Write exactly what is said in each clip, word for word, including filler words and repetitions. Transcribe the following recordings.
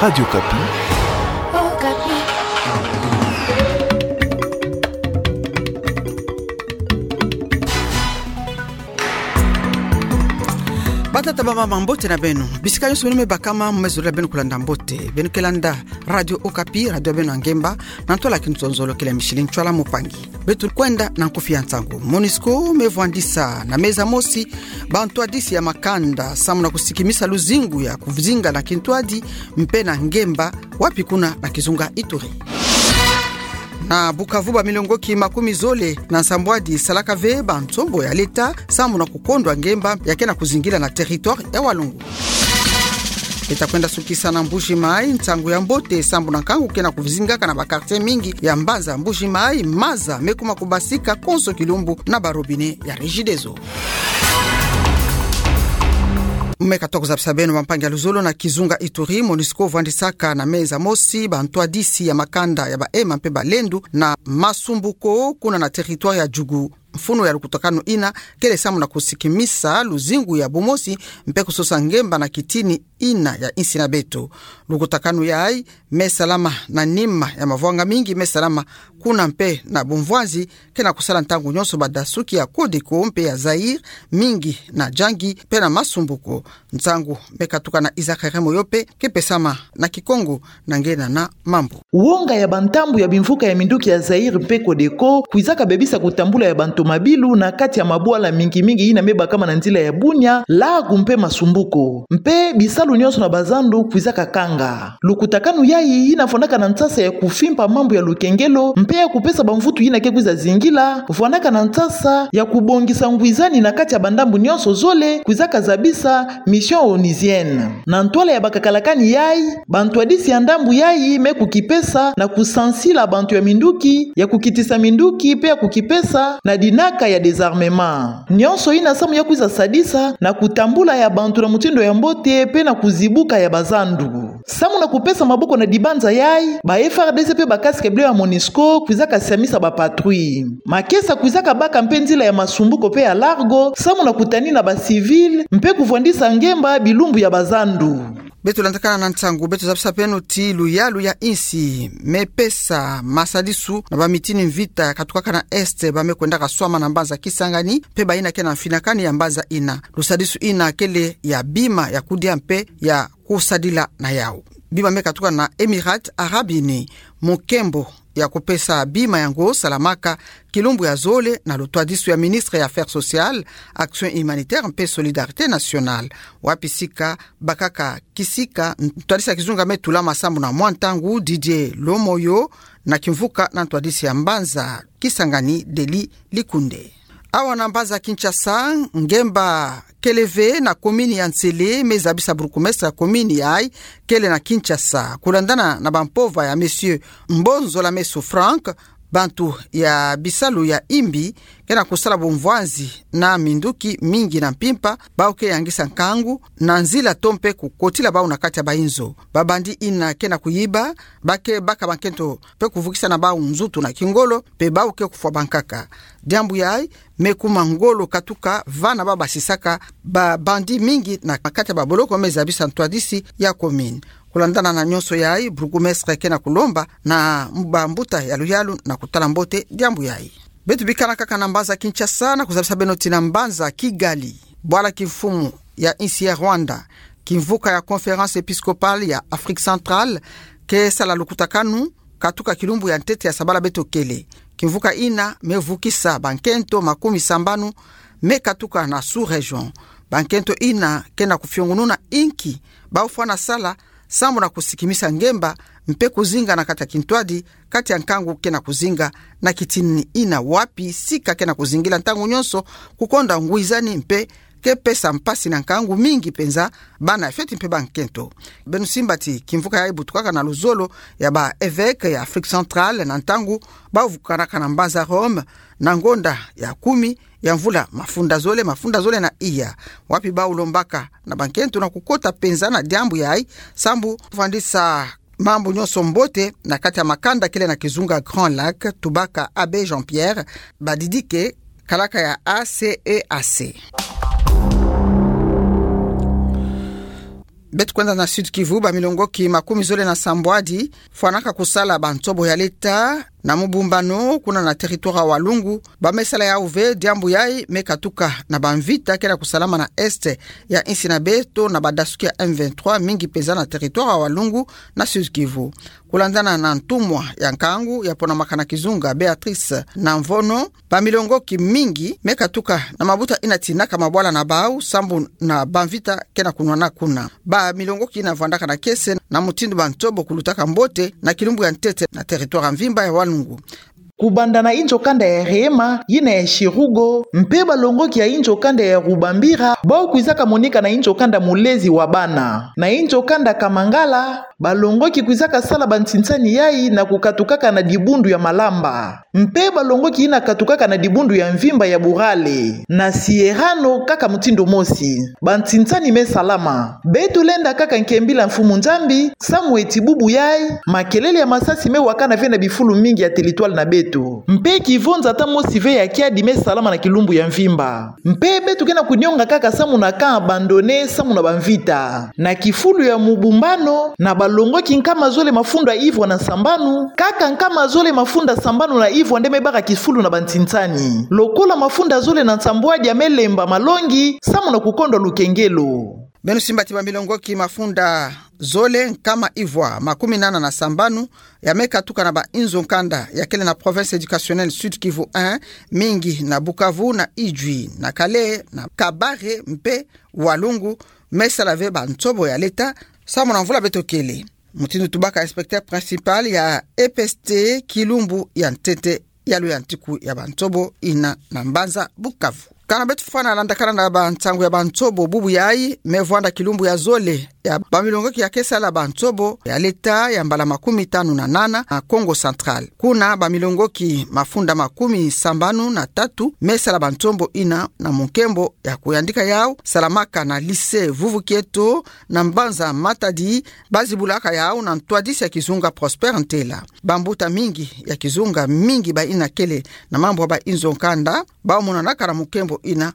Radio Okapi. Batata bamama, mbote na beno. Bisika nyonso beno me bakama, mu me zolila beno kulanda mbote. Beno ke landa Radio Okapi, radio ya beno ya ngemba, na ntwala ya kinzonzolo kele Micheline Ntsoala Mpangi. Beto kwenda na nkufi ya nsangu. Monusco me vwandisa na meza mosi bantwadisi ya makanda, samu na kusikimisa luzingu ya kuzinga na kintwadi mpe na ngemba, wapi kuna na kizunga Ituri. Na Bukavu, bamilongoki makumi zole na nsambwadi salaka ve bansombo ya leta, samu na kukondwa ngemba ya ke na kuzingila na territoire ya Walungu. Beta kwenda sukisa na Mbuji-Mayi, nsangu ya mbote, samu na nkangu ke na kuzingaka na ba quartier mingi ya mbanza Mbuji-Mayi, maza me kuma kubasika konso kilumbu na ba robinet ya Regideso. Me katuka kuzabisa beno, bampangi ya luzolo, na kizunga Ituri, Monusco vwandisaka na meza mosi bantwadisi ya makanda ya ba Hema mpe ba Lendu na Masumbuko, kuna na territoire ya Djugu. Mfunu ya lukutakanu ina kele samu na kusikimisa luzingu ya bumosi mpe kusosa ngemba na kitini ina ya insi na beto. Lukutakanu yayi me salama na nima ya mavwanga mingi me salama kuna mpe na bumvwanzi ke na kusala ntangu nyonso badasuki ya Codeco mpe ya Zaïre, mingi na Djangi mpe na Masumbuko. Nsangu me katuka na Isaac Remo yo mpe ke pesama na Kikongo na ngena na mambu. Wonga ya bantambu ya bimvuka ya minduki ya Zaïre mpe Codeco kwizaka bebisa kutambula ya bantomabilu na kati ya mabwala mingi mingi ina me bakama na nzila ya Bunia, Largo mpe Masumbuko. Mpe bisalu nyonso na bazandu kwizaka kanga. Lukutakanu yayi ina fwanaka na nsasa ya kufimpa mambu ya lukengelo mpe ya kupesa bamvutu ina ke kwiza zingila, fwanaka na nsasa ya kubongisa ngwizani na kati ya bandambu nyonso zole, kwizaka zabisa mission onusienne. Na ntwala ya bakakalakani yayi, bantwadisi ya ndambu yayi me kukipesa na kusansila bantu ya minduki, ya kukitisa minduki mpe ya kukipesa na dinaka ya désarmement. Nyonso ina samu ya kwiza sadisa na kutambula ya bantu na mutindu ya mbote mpe na kuzibuka ya bazandu. Samu na kupesa maboko na dibanza yayi, ba F A R D C mpe ba casque bleu ya Monusco kwizaka siamisa ba patrouille. Makesa kwizaka baka mpe nzila ya Masumbuko mpe ya Largo, samu na kutanina ba civil mpe kuvwandisa ngemba bilumbu ya bazandu. Beto landakana na nsangu, beto zabisa beno ti luyalu ya insi me pesa masadisu na bamitini mvita ya katukaka na Est, ba me kwendaka swama na mbanza Kisangani mpe bayina ke na mfinakani ya mbanza ina. Lusadisu ina kele ya bima ya kudia mpe ya kusadila na yawu. Bima me katuka na Emirats Arabes Unis, mu nkembo ya kupesa bima yango salamaka kilumbu ya zole na lutwadisu ya ministre ya Affaires sociales, Action humanitaire mpe Solidarité nationale. Wapi sika bakaka kisika ntwadisi ya kizunga me tulama samu na mwa ntangu, Didier Lomoyo, na kimvuka na ntwadisi ya mbanza Kisangani, Delly Likunde. Awa na mbanza Kinshasa, ngemba kele ve na commune ya Nsele me zabisa bourgmestre ya commune yayi kele na Kinshasa. Kulandana na bampova ya Monsieur Mbonzola Meso Franck, bantu ya bisalu ya imbi ke na kusala bumvwanzi na minduki mingi na mpimpa, bawu ke yangisa nkangu na nzila to mpe kukotila bawu na kati ya bayinzo. Ba bandits ina ke na kuyiba, ba ke baka bankento mpe kuvukisa na bawu nzutu na kingolo, mpe bawu ke kufwa bankaka. Diambu yayi me kuma ngolo katuka vana ba basisaka ba bandits mingi na kati ya baboloko me zabisa ntwadisi ya commune. Kulandana na nyonso yayi, bourgmestre ke na kulomba na bambuta ya luyalu na kutala mbote diambu yayi. Beto bikana kaka na mbanza Kinshasa na kuzabisa beno ti na mbanza Kigali, bwala kimfumu ya insi ya Rwanda, kimvuka ya Conférence épiscopale ya Afrique centrale ke sala lukutakanu katuka kilumbu ya ntete ya sabala beto kele. Kimvuka ina me vukisa bankento makumi sambanu me katuka na sous-région. Bankento ina ke na kufiongununa inki bawu fwana sala samu na kusikimisa ngemba mpe kuzinga na kati ya kintwadi, kati ya nkangu ke na kuzinga, na kitini ina wapi sika ke na kuzingila ntangu nyonso, kukonda ngwizani mpe ke pesa mpasi na nkangu mingi mpenza bana ya fioti mpe bankento. Beno simba ti kimvuka yayi butukaka na luzolo ya ba évêques ya Afrique centrale na ntangu bawu vukanaka na mbanza Rome na ngonda ya kumi ya mvula mafunda zole, mafunda zole na iya, wapi bawu lombaka na bankento na kukota mpenza na diambu yayi, sambu vwandisa mambu nyonso mbote na kati ya makanda kele na kizunga Grand Lac, tubaka Abbé Jean-Pierre, badidike kalaka ya A C E A C. Beto kwenda na Sud-Kivu, bamilongoki makumi zole na sambwadi fwanaka kusala bantobo ya leta na mubumbano kuna na territoire ya Walungu, bamesala yau ve diambu yayi me katuka na bamvita kena kusalama na est ya insi na beto na badasuki ya M vingt-trois, mingi peza na territoire ya Walungu na Sud-Kivu. Kulandana na ntumwa ya nkangu ya pona makana kizunga Béatrice Namvono, bamilongoki mingi me katuka na mabuta ina tinaka mabwala na bau sambu na bamvita kena kunwana kuna. Bamilongoki ina vwandaka na kiese na mutindu bantobo kulutaka mbote na kilumbu ya ntete na territoire ya mvimba ya Walungu. Kubanda na inzo kanda ya Rema, yina ya Sirugo, mpe balongoki ya inzo kanda ya Rubambira, bau kwizaka monika na inzo kanda Mulezi wa bana. Na inzo kanda Kamangala, balongoki kwizaka sala bantinsani yayi na kukatukaka na dibundu ya Malamba. Mpe balongoki ina katukaka na dibundu ya mvimba ya Burale, na Sierrano kaka mutindu mosi. Bantinsani me salama. Beto lenda kaka nkembila Mfumu Nzambi, samu eti bubu yayi, makelele ya masasi me wakana ve na bifulu mingi ya territoire na beto. Mpe kivonza ata mosi ve ya kiadi me salama na kilumbu ya mvimba. Mpe beto kena kunionga kaka samu na camp abandonné, samu na bamvita. Na kifulu ya mubumbano, na balongoki nkama zole mafunda ivwa na nsambanu, kaka nkama zole mafunda sambanu na ivwa nde me baka kifulu na bantinsani. Lokola mafunda zole na nsambwadi ya me lemba malongi, samu na kukondwa lukengelo. Beno simba ti bamilongoki mafunda zole nkama ivwa makumi nana na sambanu, ya me katuka na bainzo nkanda ya kele na province éducationnelle Sud-Kivu un, mingi na Bukavu, na Idjwi, na Kale, na Kabare, mpe Walungu, me sala ve bantobo ya leta, samu na mvula beto kele. Mutindu tubaka inspecteur principal ya E P S T kilumbu ya ntete ya luyantiku ya bantobo ina na mbanza Bukavu. Kana beto fwana landakana na bansangu ya bantobo bubu yayi, me vwanda kilumbu ya zole ya bamilongoki ya ke sala bantobo ya leta ya mbala makumi tanu na nana na Kongo Central. Kuna bamilongoki mafunda makumi sambanu na tatu me sala bantobo ina na munkembo ya kuyandika yau, salamaka na lycée Vuvu Kieto na mbanza Matadi, bazibulaka yau na ntwadisi ya kizunga Prosper Ntela. Bambuta mingi ya kizunga mingi baina kele na mambu ya bainzo nkanda, bau monanaka na munkembo ina.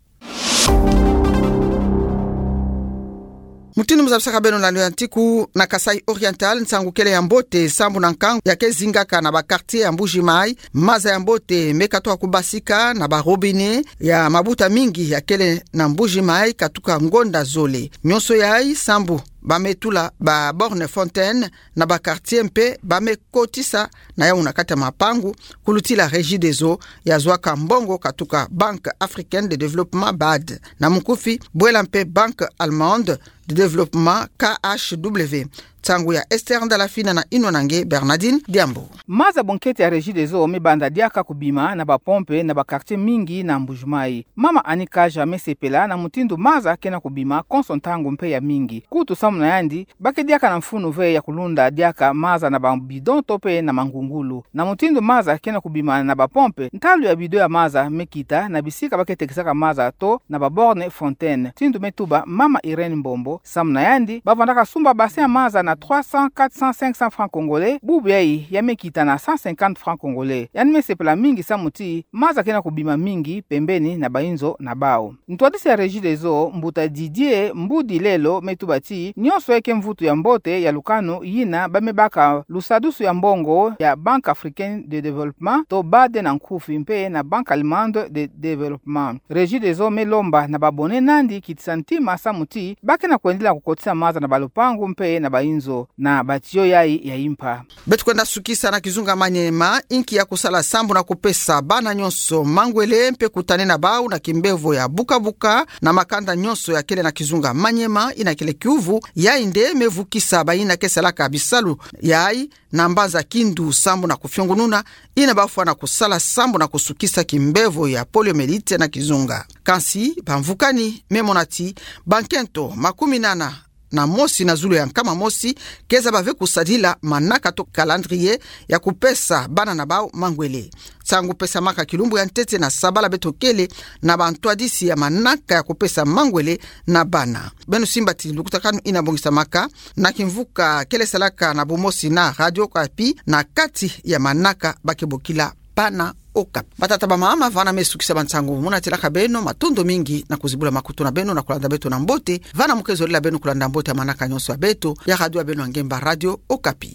Mutindu muzabisaka beno na luyantiku, na Kasaï Oriental, nsangu kele ya mbote sambu na nkangu ya ke zingaka na ba quartier ya Mbuji-Mayi, maza ya mbote me katuka kubasika na ba robinet ya mabuta mingi ya kele na Mbuji-Mayi katuka ngonda zole. Nyonso yayi sambu ba me tula ba borne fontaine na ba quartier mpe ba me kotisa na yau na kati ya mapangu, kulutila Regideso ya zwaka mbongo katuka Banque Africaine de Développement, bad, na mukufi bwela mpe Banque Allemande de Développement, K H W. Nsangu ya Esther Ndalafina na inwa na nge Bernardine Diambu. Maza bonkete ya Regideso me banda diaka kubima na ba pompe na ba quartier mingi na Mbuji-Mayi. Mama Annie Kaja me sepela na mutindu maza kena kubima konso ntangu mpe ya mingi. Kutu samu na yandi, ba ke diaka na mfunu ve ya kulunda diaka maza na ba bidon to mpe na mangungulu. Na mutindu maza kena kubima na ba pompe, ntalu ya bidon ya maza me kita na bisika ba ke tekisaka maza to na ba borne fontaine. Mutindu me tuba Mama Irène Mbombo, samu na yandi, ba vandaka sumba bassin ya maza na trois cents, quatre cents, cinq cents francs congolais, bubu yayi ya me kita na cent cinquante francs congolais. Yandi me sepela mingi samu ti maza kena kubima mingi pembeni na bainzo na bau. Ntwadisi ya Regideso, mbuta Didier Mbudi Lelo, me tuba ti nyonso yayi ke mvutu ya mbote ya lukanu yina ba me baka lusadusu ya mbongo ya Banque Africaine de Développement, to bad na nkufi, mpe na Banque Allemande de Développement. Regideso me lomba na ba abonné nandi kitisa ntima samu ti ba kena kwendela kukotisa maza na ba lupangu mpe na bainzo na ba tuyau yayi ya impa. Beto kwenda sukisa na kizunga Maniema, inki ya kusala sambu na kupesa bana nyonso mangwele mpe kutanina bau na kimbevo ya buka-buka na makanda nyonso ya kele na kizunga Maniema, ina kele kiuvu yayi nde me vukisa baina ke salaka bisalu yayi na mbanza Kindu sambu na kufiongununa ina ba fwana kusala sambu na kusukisa kimbevo ya poliomyélite na kizunga. Kansi bamvukani me mona ti bankento makumi nana na mosi na zulu ya nkama mosi ke zaba ve kusadila manaka to calendrier ya kupesa bana na bau mangwele. Nsangu pesamaka kilumbu ya ntete na sabala beto kele na bantwadisi ya manaka ya kupesa mangwele na bana. Beno simba ti lukutakanu ina bongisamaka na kimvuka kele salaka na bumosi na Radio Okapi na kati ya manaka ba ke bokila Bana Okapi. Batata bamama, vana me sukisa bansangu mu na tilaka beno, matondo mingi na kuzibula makutu na beno na kulanda beto na mbote. Vana muke zolila beno kulanda mbote ya manaka nyonso ya beto, ya radio ya beno ya ngemba, Radio Okapi.